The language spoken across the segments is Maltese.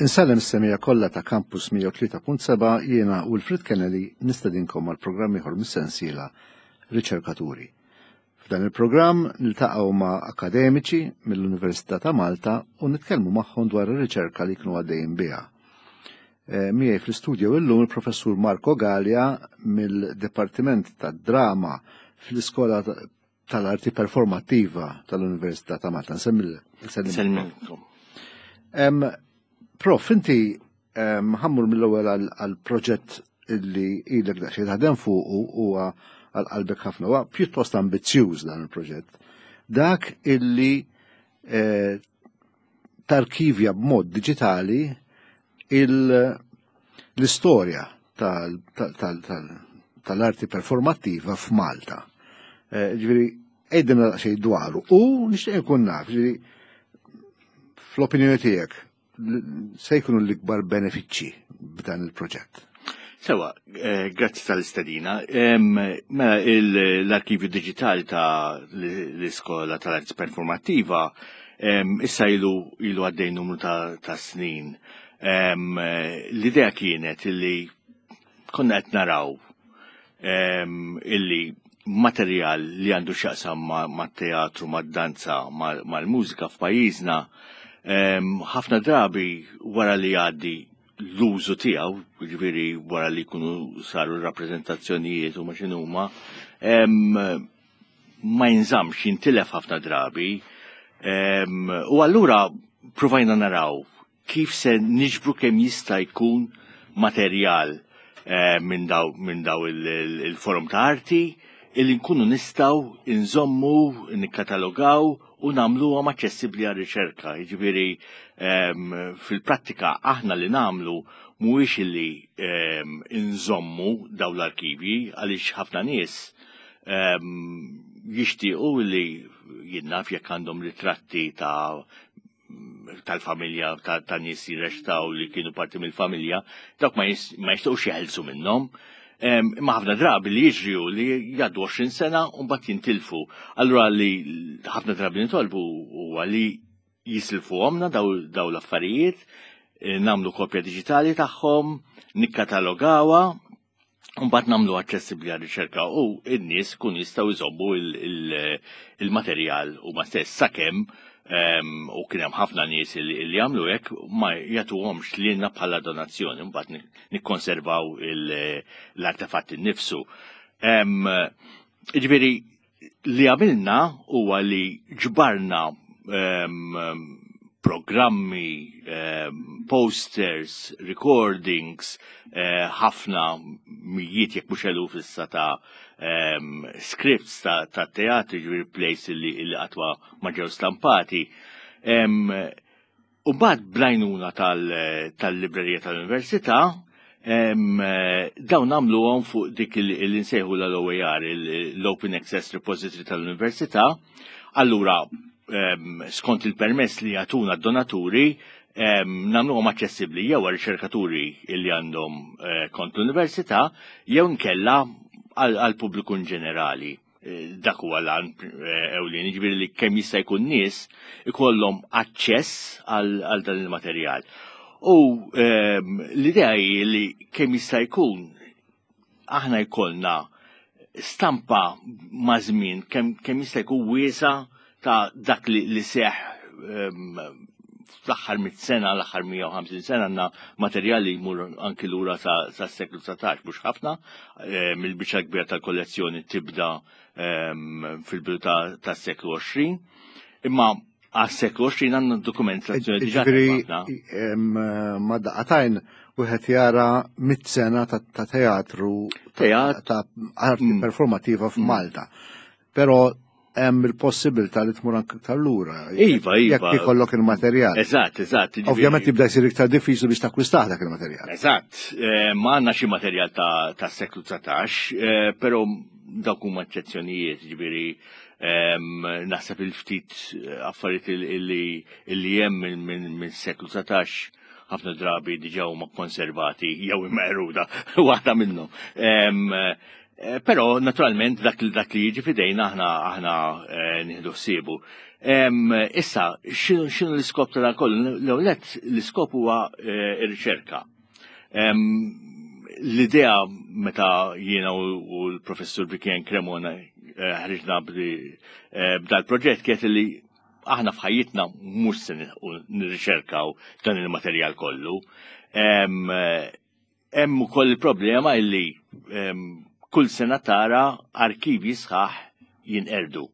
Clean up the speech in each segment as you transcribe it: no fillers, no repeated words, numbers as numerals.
Insellem is-semija kollha ta' Campus 103.7 jiena Wilfred Kennedy nistedinkom għal programm ieħor mis-sensiela Riċerkaturi. F'dan il-programm niltaqgħu ma' akademiċi mill-Università ta' Malta u nitkellmu magħhom dwar ir-riċerka li jkunu għaddejjin biha. Eh, miegħi fl-istudio illum il-Professur Marco Gallia mill-Dipartiment tad-Drama fl-Iskola tal-Arti Performattiva tal-Università ta' Malta. Nsemmilkom. Prof, inti ħammur mill-ewwel għal-proġett illi ilek daqsxejn taħdem fuqu huwa għal qalbek ħafna. Huwa pjuttost ambizzjuż dan il-proġett. Dak illi eh, tarkivja b'mod diġitali l-istorja tal-arti performattiva f'Malta. Eh, ġifieri, għidilna daqsxejn dwaru u nixtieq nkun naf, ġifieri, fl-opinjoni tiegħek se jkunu l-ikbar benefiċċji b'dan il-proġett. Sewa, eh, grazzi tal-istedina. Mela, l-arkivju digitali ta' l-Iskola tal-Arti Performattiva issa ilu ilu għaddej numru ta' snin. L-idea kienet illi konna qed naraw illi materjal li għandu x'jaqsam mat-teatru, mad-danza, mal-mużika f'pajjiżna, ħafna drabi wara li jgħaddi l-użu tiegħu, jiġifieri wara li jkunu saru r-rappreżentazzjonijiet u ma x'inhuma, ma jinżammx, jintilef ħafna drabi. U allura provajna naraw kif se niġbru kemm jista' jkun materjal eh, minn daw, min daw il-forum ta' arti illi nkunu nistgħu nżommu, nikkatalogaw u nagħmluhom aċċessibbli għar-riċerka. Jiġifieri ehm, fil-prattika aħna li nagħmlu mhuwiex illi ehm, nżommu dawn l-arkivji għaliex ħafna nies ehm, jixtiequ li jinnaf jekk għandhom ritratti ta' tal-familja ta' nies jirrextaw li kienu parti mill-familja, dawk ma jistgħux jeħelsu minnhom. Imma ħafna drabi li jiġri hu li jgħaddu 20 sena u mbagħad jintilfu. Allura li ħafna drabi nitolbu huwa li jisilfuhomna daw l-affarijiet, eh, nagħmlu kopja diġitali tagħhom, nikkatalogawha, Mbagħad nagħmlu aċċessibbli għar-riċerka u n-nies kun jistgħu jżommu il-materjal huma stess sakemm ehm, u kien hemm ħafna nies li jagħmlu hekk ma jagħtuhomx lilna bħala donazzjoni mbagħad nikkonservaw l-artefatt innifsu. Ehm, jiġifieri li għamilna huwa li ġbarna ehm, programmi, ehm, posters, recordings, eh, ħafna mijiet jekk mhux eluf issa ta' ehm, scripts ta' teatri, ġifieri plays li qatt ma ġew stampati. U mbagħad bl-għajnuna tal-librerija tal-Università, dawn nagħmluhom fuq dik li nsejħu l-OAR, l-Open Access Repository tal-Università. Allura, skont il-permess li jagħtuna d-donaturi, nagħmluhom aċċessibbli jew għar-riċerkaturi li għandhom eh, kont l-università jew nkella għall-pubbliku in ġenerali. Eh, dak huwa l-għan eh, ewlieni, ġifieri li kemm jista' jkun nies ikollhom aċċess għal dan il-materjal. U ehm, l-idea hi li kemm jista' jkun aħna jkollna stampa ma' żmien kemm jista' jkun wiesa ta' dak li seħ ehm, fl-aħħar mit sena, l-aħħar 150 sena għandna materjali jmur anki lura sa' seklu 19, mhux ħafna, eh, mill-biċċa kbira tal-kollezzjoni tibda ehm, fil-bidu tas-seklu 20. Imma għas-seklu 20 għandna dokumentazzjoni diġà. Ġifieri ma daqatajn wieħed jara mit sena ta' teatru ta' arti mm. performativa f'Malta. Però hemm il-possibilità li tmur anke iktar lura. Iva, iva. Jekk ikollok il-materjal. Eżatt, eżatt. Ovvjament jibda jsir iktar diffiċli biex takkwistah dak il-materjal. Eżatt. Eh, ma għandna xi materjal ta' seklu 19, eh, però dawk huma eċċezzjonijiet, ġifieri ehm, naħseb il-ftit eh, affarijiet illi hemm minn seklu 19 ħafna drabi diġà huma konservati jew imqeruda waħda minnhom. Ehm, Però naturalment dak li dak li jiġi fidejna aħna aħna nieħdu ħsiebu. Issa, x'inhu l-iskop ta' dan kollu? L-ewwel l-iskop huwa r-riċerka. L-idea meta jiena u l-professur Vivian Cremona ħriġna b'dal proġett kienet li aħna f'ħajjitna mhux se nirriċerkaw dan il-materjal kollu. Hemm ukoll il-problema illi kull sena tara arkivji sħaħ jinqerdu.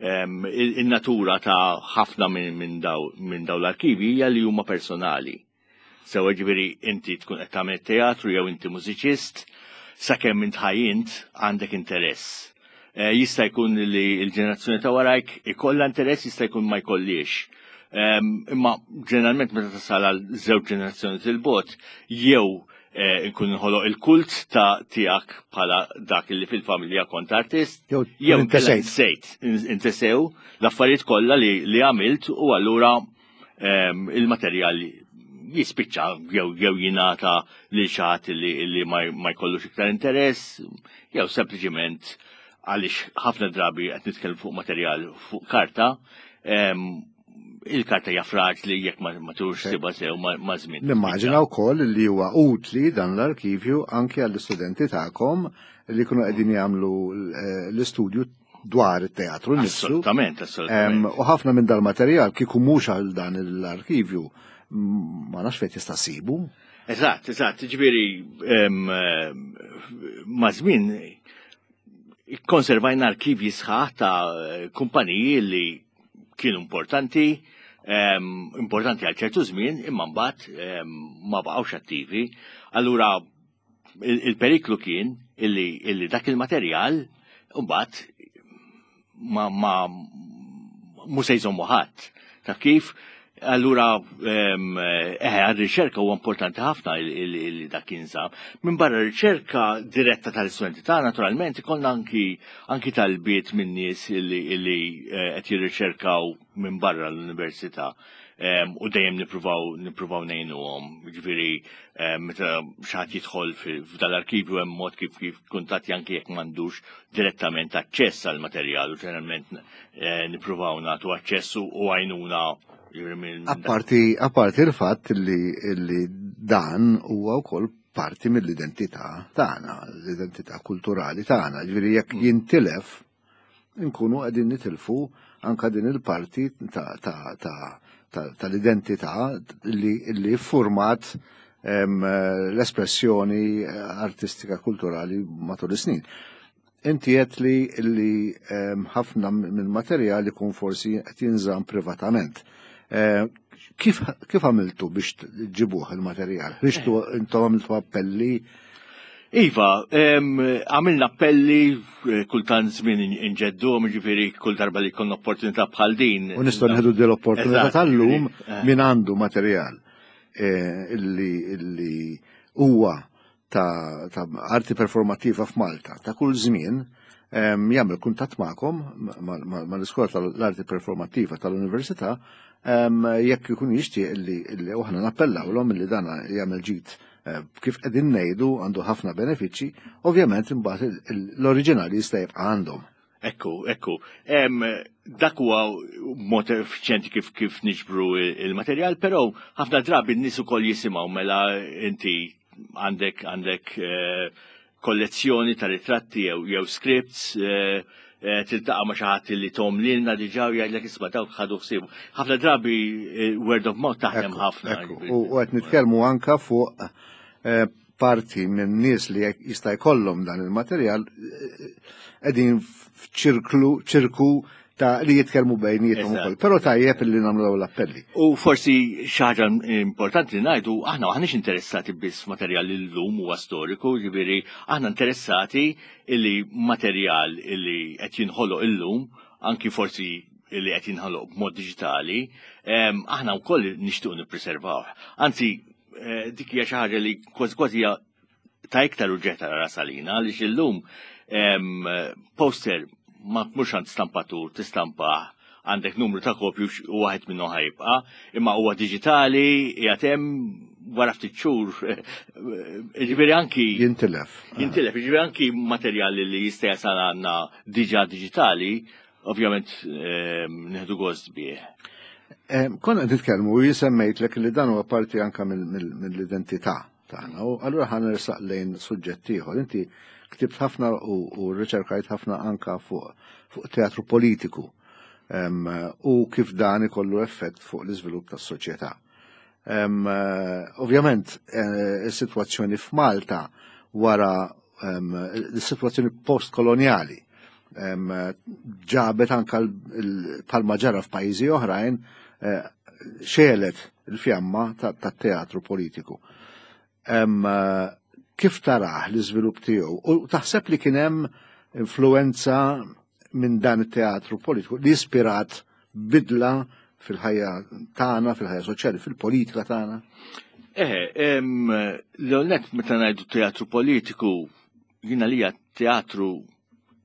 Il-natura ta' ħafna minn daw l-arkivji hija li huma personali. Sewa ġifieri inti tkun qed tagħmel teatru jew inti mużiċist, sakemm int ħajjint għandek interess. Jista' jkun li l-ġenerazzjoni ta' warajk ikollha interess, jista' jkun ma jkollix. Imma ġeneralment meta tasal għal żewġ ġenerazzjoni til-bot, jew nkun inħoloq il-kult ta' tiegħek bħala dak li fil-familja kont artist, jew intesejt, intesew l-affarijiet kollha li għamilt u allura il-materjal jispiċċa jew jingħata lil xi ħadd li ma jkollux iktar interess, jew sempliċiment għaliex ħafna drabi qed nitkellem fuq materjal fuq karta, il-karta hija fraġli jekk ma turx siba sew ma' żmien. Nimmaġina wkoll li huwa utli dan l-arkivju anke għall-istudenti tagħkom li jkunu qegħdin jagħmlu l-istudju dwar it-teatru nnifsu. Assolutament, assolutament. U ħafna minn dal-materjal kieku mhux għal dan l-arkivju ma nafx fejn tista' ssibu. Eżatt, eżatt, ġifieri ma' żmien ikkonservajna arkivji sħaħ ta' kumpaniji li kienu importanti, importanti għal ċertu żmien, imma mbagħad ma baqgħux attivi. Allura il-periklu kien illi dak il-materjal mbagħad ma mhux se jżommu ħadd. Ta' kif allura eħe għar-riċerka huwa importanti ħafna li dak jinsab. Minn barra riċerka diretta tal-istudenti ta' naturalment ikollna anki talbiet minn nies li qed jirriċerkaw minn barra l-università. U dejjem nippruvaw ngħinuhom. Ġifieri meta xi ħadd jidħol f'dal-arkivju hemm mod kif kif kuntatti anki jekk m'għandux direttament aċċess għal materjal u ġeneralment nippruvaw nagħtu aċċess u għajnuna. Apparti il-fatt li dan huwa wkoll parti mill-identità tagħna, l-identità kulturali tagħna. Ġifieri jekk jintilef nkunu qegħdin nitilfu anka din il-parti tal-identità li format l-espressjoni artistika kulturali matul is-snin. Inti qed li ħafna mill-materjal ikun forsi qed jinżamm privatament. Kif għamiltu biex ġibuh il-materjal? Ħriġtu intom għamiltu appelli? Iva, għamilna appelli kultant żmien inġeddu, ġifieri kull darba li jkollna opportunità bħal din. U nistgħu nieħdu din l-opportunità tal-lum min għandu materjal illi huwa ta' arti performattiva f'Malta ta' kull żmien jagħmel kuntatt magħkom mal-Iskola tal-Arti Performattiva tal-Università jekk ikun jixtieq li aħna nappellawlhom li dan jagħmel ġid kif qegħdin ngħidu għandu ħafna benefiċċji, ovvjament imbagħad l-oriġinali jista' jibqa' għandhom. Ekku, ekku. Dak huwa mod effiċjenti kif niġbru il-materjal, però ħafna drabi n-nies ukoll jisimgħu mela inti għandek kollezzjoni ta' ritratti jew scripts, tiltaqa' ma' xi ħadd li tom lilna diġà u jgħidlek isma' dawk ħadu ħsiebu. Ħafna drabi word of mouth taħdem ħafna. U qed nitkellmu anka fuq parti minn nies li jista' jkollhom dan il-materjal qegħdin f'ċirklu ċirku ta' li jitkellmu bejniethom ukoll. Però tajjeb li nagħmlu dawn l-appelli. U forsi xi ħaġa importanti li ngħidu aħna aħniex interessati biss f'materjal li llum huwa storiku, ġifieri aħna interessati illi materjal illi qed jinħoloq illum, anki forsi illi qed jinħoloq b'mod diġitali, aħna wkoll nixtiequ nippreservawh. Anzi, dik hija xi ħaġa li kważi kważi hija ta' iktar uġġeħ ta' ras għalina, għaliex illum poster ma mhux għand stampatur tistampah għandek numru ta' kopju u waħed minnu ħajbqa', imma huwa diġitali qiegħed hemm. wara ftit xhur, ġifieri anki. Jintilef. Jintilef, ġifieri anki materjali li jista' jasal għandna diġà diġitali, ovvjament nieħdu gost bih. Konna qed nitkellmu u jien semmejtlek li dan huwa parti anka mill-identità tagħna u allura ħa nersaq lejn suġġett ieħor. Inti ktibt ħafna u rriċerkajt ħafna anka fuq teatru politiku u kif dan ikollu effett fuq l-iżvilupp tas-soċjetà. Ovvjament, eh, is-sitwazzjoni f'Malta wara l-sitwazzjoni postkoloniali ġabet anka palma ġara f'pajjiżi oħrajn eh, xelet il-fjamma tat-teatru politiku. Kif tarah l-iżvilupp tiegħu u taħseb li kien hemm influenza minn dan it-teatru politiku li ispirat bidla fil-ħajja tagħna, fil-ħajja soċjali, fil-politika tagħna? Eh, l-għonet meta ngħidu teatru politiku, jiena li teatru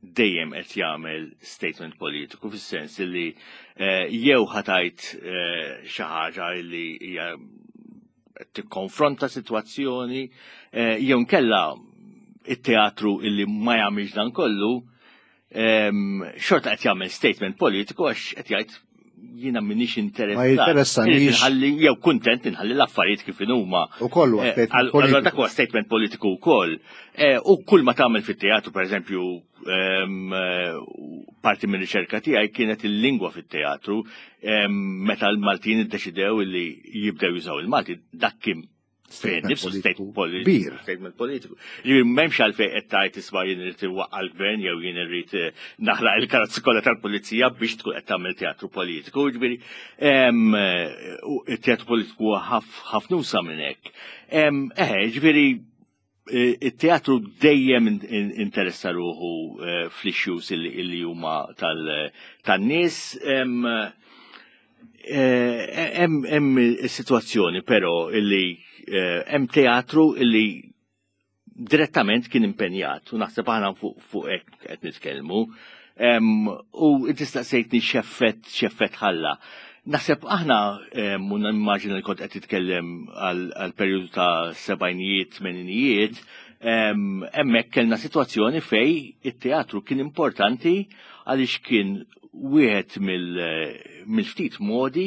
dejjem qed jagħmel statement politiku fis-sens li eh, jew ħatajt eh, xi ħaġa li hija tikkonfronta sitwazzjoni eh, jew nkella it-teatru illi ma jagħmilx dan kollu xorta qed jagħmel statement politiku għax qed jgħid jiena m'iniex interessat. Ma jinteressanix. Inħalli jew kuntent inħalli l-affarijiet kif huma. U kollu eh, statement politiku. Dak huwa statement politiku wkoll. Eh, u kull ma tagħmel fit-teatru pereżempju parti minn riċerka tiegħi kienet il-lingwa fit-teatru meta l-Maltin iddeċidew li jibdew jużaw il-Malti dak kien nifsu statement politiku. Statement politiku. Ġifieri m'hemmx għalfejn qed tgħid isma' jien irid iwaqqa' l-gvern jew jien irrid eh, naħraq il-karozzi kollha tal-pulizija biex tkun qed tagħmel teatru politiku. Ġifieri eh, it-teatru politiku ħafna usa minn hekk. Eħe, ġifieri it-teatru dejjem interessa ruħu eh, fl-issues illi huma tan-nies. Eh, hemm is-sitwazzjoni però illi eh, hemm teatru illi direttament kien impenjat u naħseb aħna fuq hekk qed nitkellmu. U inti staqsejtni x'effett x'effett ħalla. Naħseb aħna u nimmaġina li kont qed titkellem għal perjodu ta' sebgħinijiet, tmeninijiet, hemmhekk kellna sitwazzjoni fej it-teatru kien importanti għaliex kien wieħed mill-ftit modi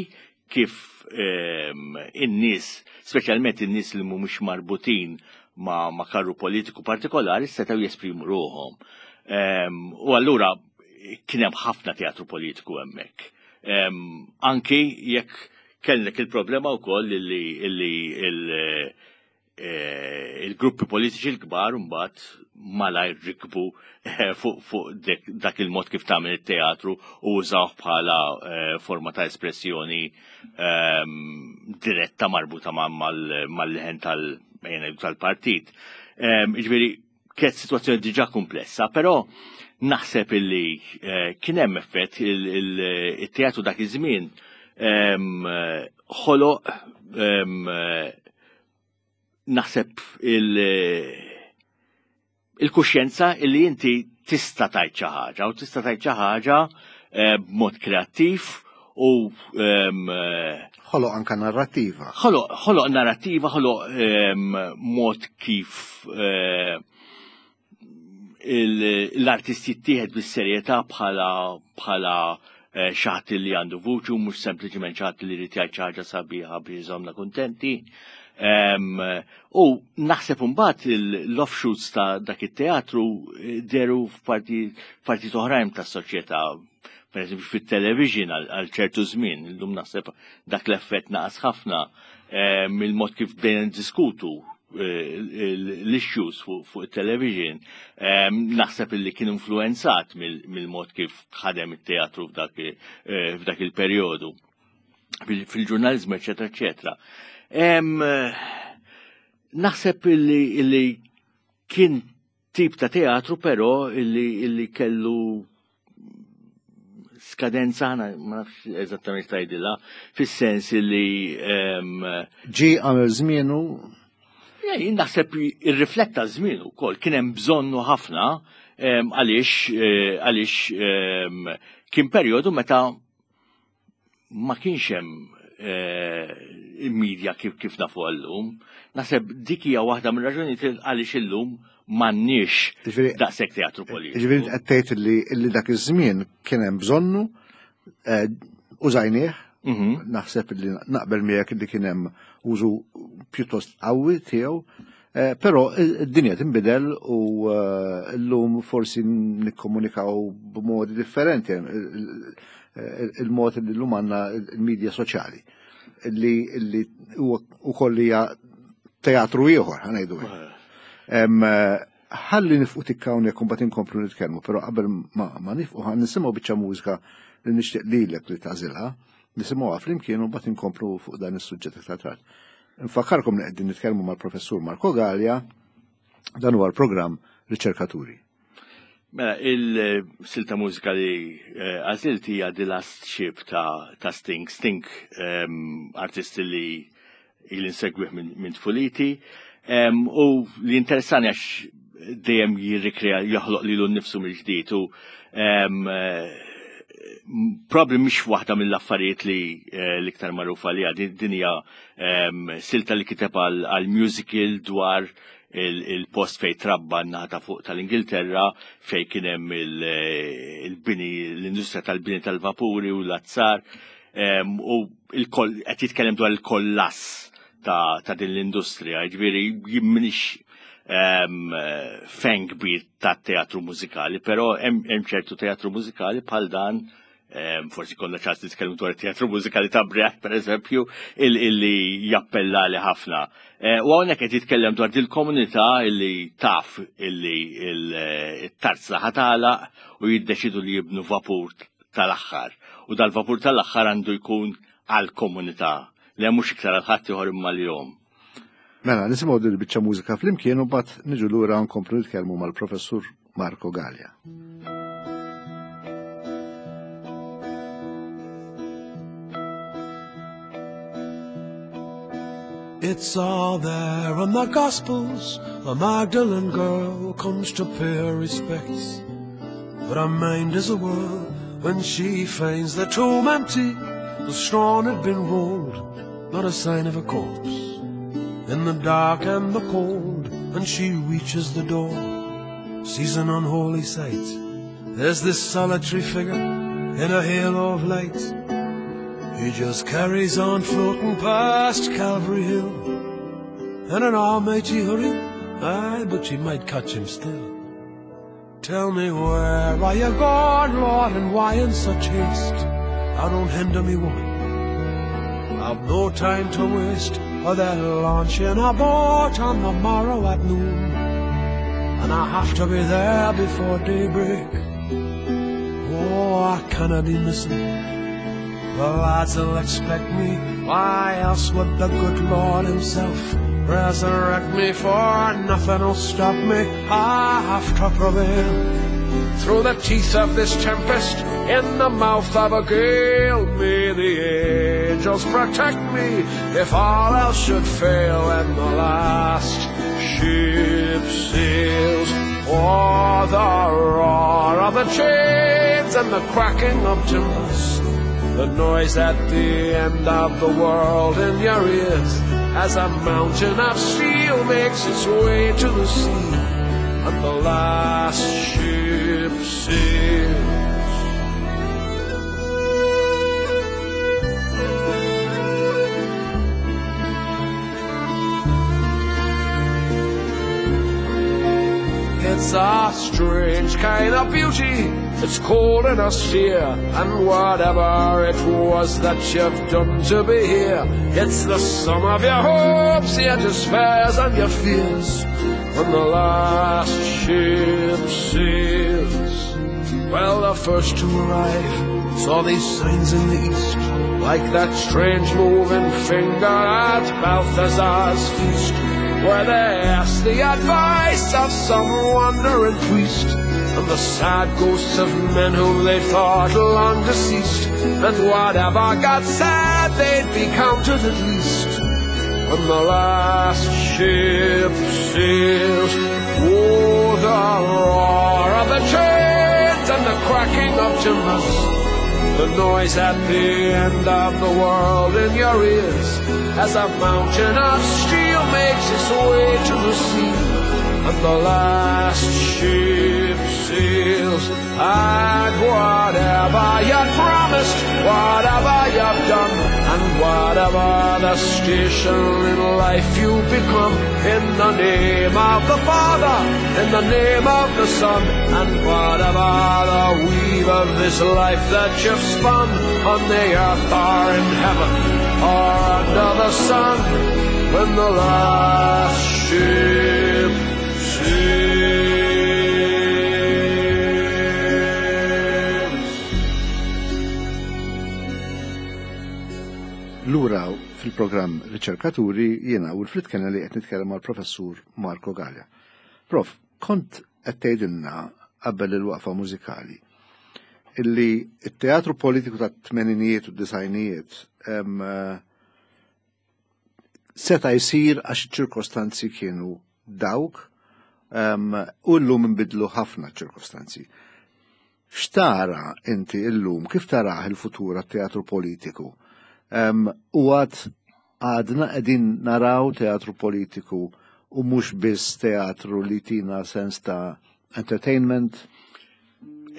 kif in-nies, speċjalment in-nies li mhumiex marbutin ma', ma karru politiku partikolari setgħu jesprimu ruħhom. U allura kien hemm ħafna teatru politiku hemmhekk. Anki jekk kellek il-problema wkoll li eh, il-gruppi politiċi l-kbar mbagħad malajr rikbu eh, fuq dak il-mod kif tagħmel it-teatru u użawh bħala eh, forma ta' espressjoni ehm, diretta marbuta mal-leħen tal-partit. Ehm, jiġifieri kienet situazzjoni diġà komplessa, però naħseb illi eh, kien hemm effett il-teatru dak iż-żmien ehm, ħoloq ehm, naħseb il-kuxjenza illi inti tista' tajt xi ħaġa u tista' tajt xi ħaġa eh, b'mod kreattiv u ehm, ħoloq anka narrativa. Ħoloq narrativa, ħoloq ehm, mod kif eh, l-artist jittieħed bis-serjetà bħala bħala eh, xaħat li għandu vuċi u mhux sempliċement xaħat li jrid jgħid xi ħaġa sabiħa biex iżomna kuntenti. Ehm, u naħseb imbagħad l-offshoots ta' dak it-teatru eh, deru f'partit oħrajn tas-soċjetà per eżempju fit-television għal ċertu żmien, illum naħseb dak l-effett naqas ħafna eh, mill-mod kif bdejna niddiskutu eh, l-issues fuq it-television, eh, naħseb illi kien influenzat mill-mod kif ħadem it-teatru f'dak il-perjodu fil-ġurnalizmu, eċetera, eċetera. Naħseb illi kien tip ta' teatru però illi, illi kellu skadenza ħana ma nafx eżattament tajdilha fis-sens illi ġi għamel żmienu Jien naħseb irrifletta żmien ukoll kien hemm bżonnu ħafna għaliex eh, għaliex kien perjodu meta ma kienx hemm eh, il-medja kif kif nafu għallum. Naħseb dik hija waħda mir-raġunijiet għaliex illum m'għandniex daqshekk teatru politiku. Ġifieri qed tgħid li dak iż-żmien kien hemm bżonnu eh, użajnieh, mhm. naħseb li naqbel miegħek li kien hemm użu pjuttost qawwi tiegħu, eh, però id-dinja tinbidel u eh, llum forsi nikkomunikaw b'modi differenti il-mod li llum għandna il-medja soċjali li wkoll hija teatru ieħor ħanejdu. Ħalli nifqu tikka hawnhekk u mbagħad inkomplu nitkellmu, però qabel ma nifqu ħa nisimgħu biċċa mużika li nixtieq lilek li tagħżilha, nisimgħuha flimkien u mbagħad inkomplu fuq dan is-suġġett iktar tard. Nfakkarkom li qegħdin nitkellmu mal-Professur Marco Gallia, dan huwa l-programm Riċerkaturi. Mela, il-silta mużika li eh, għażilt hija The Last Ship ta' Sting. Sting ehm, artist li ili nsegwih minn tfuliti. U li interessani għax dejjem jirrikrea joħloq lilu nnifsu mill-ġdid u eh, probably mhix waħda mill-affarijiet li eh, l-iktar magħrufa li din hija silta li kiteb għal musical dwar il-post fej trabba n-naħa ta' fuq tal-Ingilterra fej kien hemm eh, il-bini l-industrija tal-bini tal-vapuri u l-azzar u qed jitkellem dwar il-kollass ta' din l-industrija, ġifieri jien m'iniex fan kbir ta' teatru mużikali, però hemm ċertu teatru mużikali bħal dan forsi konna ċans nitkellmu dwar teatru mużikali ta' Brecht, per eżempju, illi jappella li ħafna. Eh, u hawnhekk qed jitkellem dwar dil-komunità illi taf illi il-tarzna ħatala u jiddeċidu li jibnu vapur tal-aħħar. U dal-vapur tal-aħħar għandu jkun għal-komunità li mhux iktar għal ħadd ieħor imma l-jom. Mela, nisimgħu din il-biċċa mużika flimkien u mbagħad niġu lura nkomplu nitkellmu mal-Professur Marco Gallia. It's all there in the Gospels. A Magdalene girl comes to pay her respects. But her mind is a whirl when she finds the tomb empty. The stone had been rolled, not a sign of a corpse. In the dark and the cold, and she reaches the door, sees an unholy sight. There's this solitary figure in a halo of light. He just carries on floating past Calvary Hill in an almighty hurry. Aye, but she might catch him still. Tell me where are you gone, Lord, and why in such haste? I don't hinder me, woman. I've no time to waste, or they're launching a boat on the morrow at noon, and I have to be there before daybreak. Oh, I cannot be missing. The lads will expect me. Why else would the good Lord himself resurrect me? For nothing will stop me. I have to prevail. Through the teeth of this tempest, in the mouth of a gale, may the angels protect me if all else should fail and the last ship sails. Oh, the roar of the chains and the cracking of timbers, the noise at the end of the world in your ears, as a mountain of steel makes its way to the sea, and the last ship sails. It's a strange kind of beauty, it's cold and austere, and whatever it was that you've done to be here, it's the sum of your hopes, your despairs and your fears, when the last ship sails. Well, the first to arrive saw these signs in the east, like that strange moving finger at Balthazar's feast, where they asked the advice of some wandering priest, and the sad ghosts of men whom they thought long deceased, and whatever got said, they'd be counted at least. When the last ship sails, oh, the roar of the chains and the cracking of timbers, The noise at the end of the world in your ears as a mountain of steel makes its way to the sea and the last ship sails. And whatever you promised, whatever you've done, and whatever the station in life you become, in the name of the Father, in the name of the Son, and whatever the weave of this life that you've spun, on the earth or in heaven, or under the sun, when the last ship sails. Lura fil-programm Riċerkaturi jiena u l-Frit Kennedy qed nitkellem mal-Professur Marco Galea. Prof, kont qed tgħidilna qabel il-waqfa mużikali illi t-teatru politiku tat-tmeninijiet u d-disajnijiet seta' jsir għax iċ-ċirkostanzi kienu dawk u llum inbidlu ħafna ċirkostanzi. X'tara inti llum, kif tarah il-futur għat-teatru politiku? U għad għadna qegħdin naraw teatru politiku u mhux biss teatru li tina sens ta' entertainment?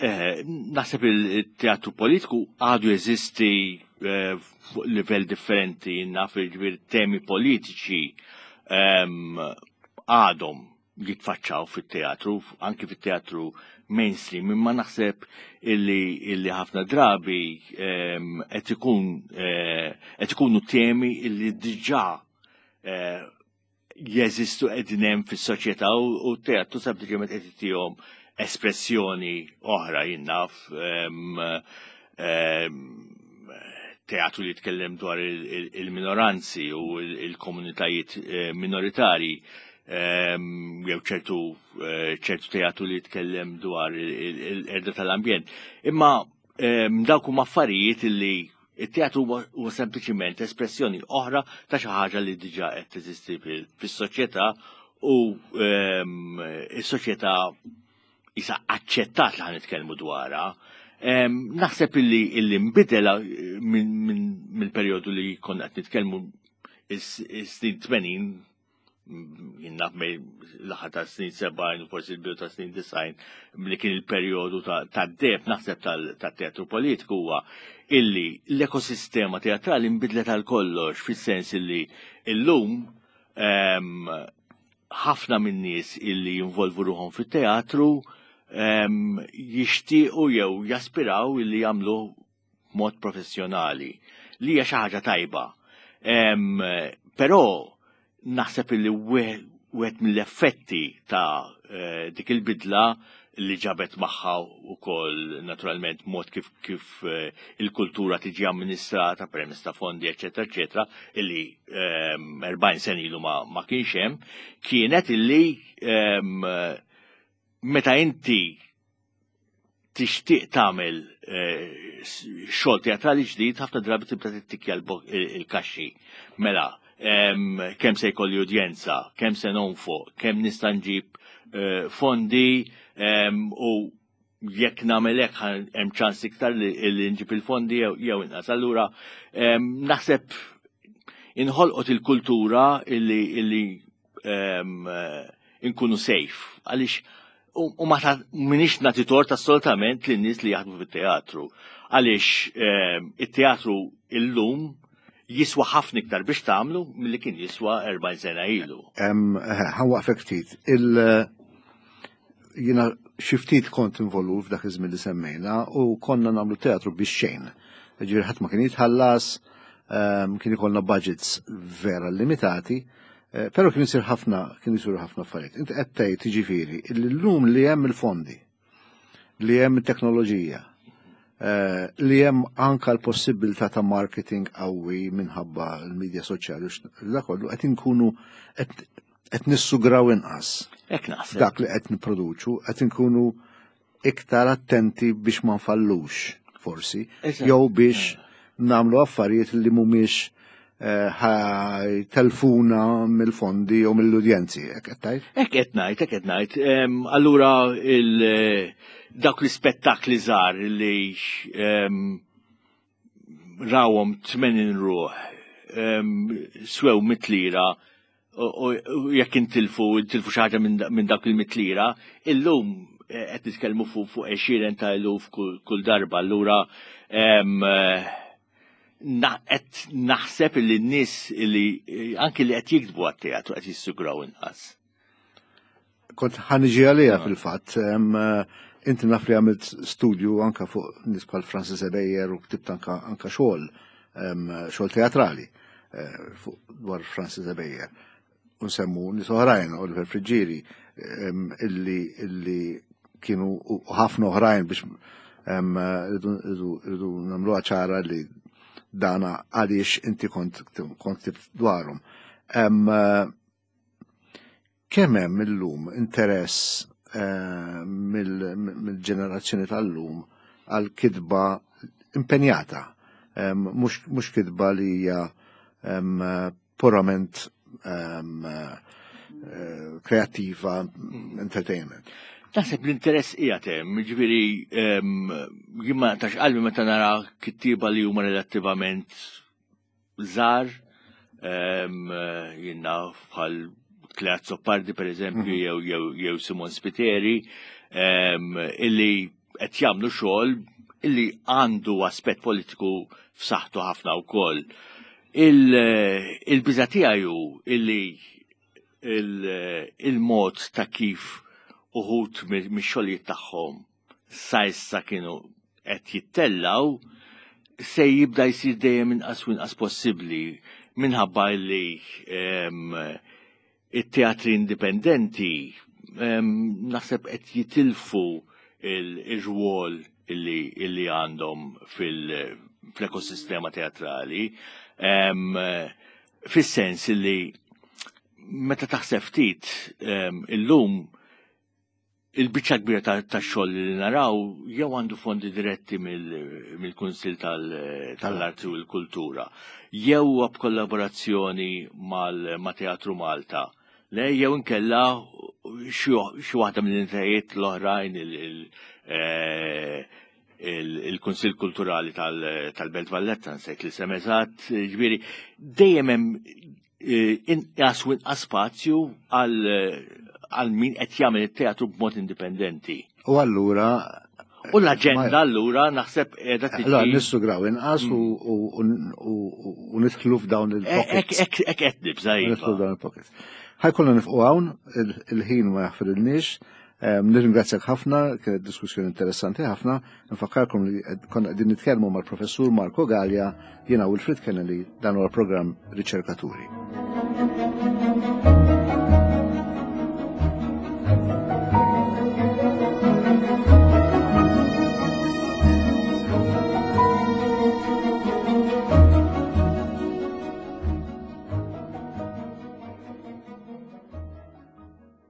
Eh, naħseb il-teatru politiku għadu jeżisti eh, fuq livell differenti, naf il-ġbir temi politiċi ehm, għadhom jitfaċċaw fit-teatru, anki fit-teatru mainstream, imma naħseb illi, illi ħafna drabi ehm, qed ikun eh, qed ikunu temi illi diġà eh, jeżistu qegħdin hemm fis-soċjetà u t-teatru sempliċement qed itihom espressjoni oħra jien naf ehm, ehm, teatru li jitkellem dwar il-minoranzi u il-komunitajiet eh, minoritarji ehm, jew ċertu eh, ċertu teatru li jitkellem dwar il-erda tal-ambjent. Imma ehm, dawk huma affarijiet li it-teatru huwa sempliċiment espressjoni oħra ta' xi ħaġa li diġà qed teżisti fis-soċjetà u ehm, is-soċjetà isa aċċettat li ħanitkellmu dwarha. Naħseb illi illi nbidel eh, mill-perjodu li konna qed nitkellmu is-snin 80 jien naf l-aħħar ta' snin 70 forsi l-bidu ta' snin 90 li kien il-perjodu ta' deb naħseb tat-teatru politiku huwa illi l-ekosistema teatrali nbidlet għal kollox fis-sens illi illum ħafna min-nies illi jinvolvu ruħhom fit-teatru jixtiequ jew jaspiraw illi jagħmlu mod professjonali li hija xi ħaġa tajba. Però naħseb illi wieħed mill-effetti ta' eh, dik il-bidla li ġabet magħha wkoll naturalment mod kif kif eh, il-kultura tiġi amministrata permezz ta' fondi, eċetera, eċetera, illi 40 ehm, sen ilu ma, ma kienx hemm, kienet illi ehm, meta inti tixtieq tagħmel eh, xogħol teatrali ġdid ħafna drabi tibda tittikja l-kaxxi. Mela, ehm, kemm se jkolli udjenza, kemm se nonfoq, kemm nista' nġib eh, fondi u jekk nagħmel hekk hemm ċans iktar li nġib il-fondi jew inqas. Allura naħseb inħolqot il-kultura illi illi inkunu safe għaliex u ma minix nagħti tort assolutament lin nies li jaħdmu fit-teatru. Għaliex it-teatru illum jiswa ħafna iktar biex tagħmlu milli kien jiswa 40 sena ilu. Ħawaqfek ftit. Jiena xi ftit kont involut f'dak iż-żmien li semmejna u konna nagħmlu teatru biex xejn. Ġifieri ħadd ma kien jitħallas, kien ikollna budgets vera limitati, eh, però kien isir ħafna kien isiru ħafna affarijiet. Inti qed tgħid jiġifieri li llum li hemm il-fondi, li hemm it-teknoloġija, eh, li hemm anka l-possibilità ta' marketing qawwi minħabba l-medja soċjali u kollu qed inkunu qed nissugraw inqas. Hekk naħseb. Dak li qed nipproduċu qed inkunu iktar attenti biex ma nfallux forsi, jew biex nagħmlu affarijiet li mhumiex eh, telfuna mill-fondi jew mill-udjenzi, hekk qed tgħid? Hekk qed ngħid, hekk qed ngħid. Allura il dawk l-ispettakli żgħar li rawhom 80 ruħ swew mitlira u jekk intilfu intilfu xi ħaġa minn dak il-mitlira, illum eh, qed nitkellmu fuq għexieren ta' eluf kull darba, allura eh, qed naħseb li n-nies li eh, anki li qed jiktbu għat-teatru qed jissugraw inqas. Kont ħaniġi għalija fil-fatt, inti naf li għamilt studju anka fuq nies bħal Francis Ebejer u ktibt anka anka xogħol xogħol teatrali eh, fuq dwar Francis Ebejer. Unsemmu nies oħrajn, Oliver Friggieri, illi illi kienu ħafna oħrajn biex rridu nagħmluha ċara li dana għaliex inti kont kont dwarhom. Kemm hemm illum interess eh, mill-ġenerazzjoni tal-lum għal kitba impenjata, mhux kitba li hija purament eh, kreattiva, entertainment. Naħseb l-interess qiegħed hemm, jiġifieri jien ma naqtax qalbi meta nara kittieba li huma relattivament żgħar, jien naf bħal Claire Azzopardi per eżempju mhm. jew jew jew Simon Spiteri illi qed jagħmlu xogħol illi għandu aspett politiku f'saħħtu ħafna wkoll. Il-biża tiegħi hu illi il-mod ta' kif uħud mix-xogħlijiet tagħhom sa issa kienu qed jittellgħu se jibda jsir dejjem inqas u inqas possibbli minħabba li ehm, it-teatri indipendenti ehm, naħseb qed jitilfu il-rwol illi għandhom fil-ekosistema teatrali. Ehm, fis-sens li meta taħseb ftit illum Il-biċċa kbira tax-xogħol li naraw jew għandu fondi diretti mill-Kunsill tal-Arti u l-Kultura, jew huwa b'kollaborazzjoni ma' Teatru Malta, le jew inkella xi waħda mill-entitajiet l-oħrajn eh, il-Kunsill Kulturali tal-Belt Valletta, nsejt l-isem eżatt, ġifieri dejjem hemm Eh, inqas u inqas spazju għal min qed jagħmel it-teatru b'mod indipendenti. U allura U l-aġenda allura naħseb qiegħda tiġi. Allura nissugraw inqas u nidħlu f'dawn il-pockets. Hekk qed nibża' iva. Nidħlu f'dawn il-pockets. Ħajkollna nifqu hawn, il-ħin ma jaħfrilniex. Nirringrazzjak ħafna, kienet diskussjoni interessanti ħafna. Nfakkarkom li konna qegħdin nitkellmu mal-Professur Marco Gallia, jiena Wilfred Kennedy, dan huwa programm Riċerkaturi.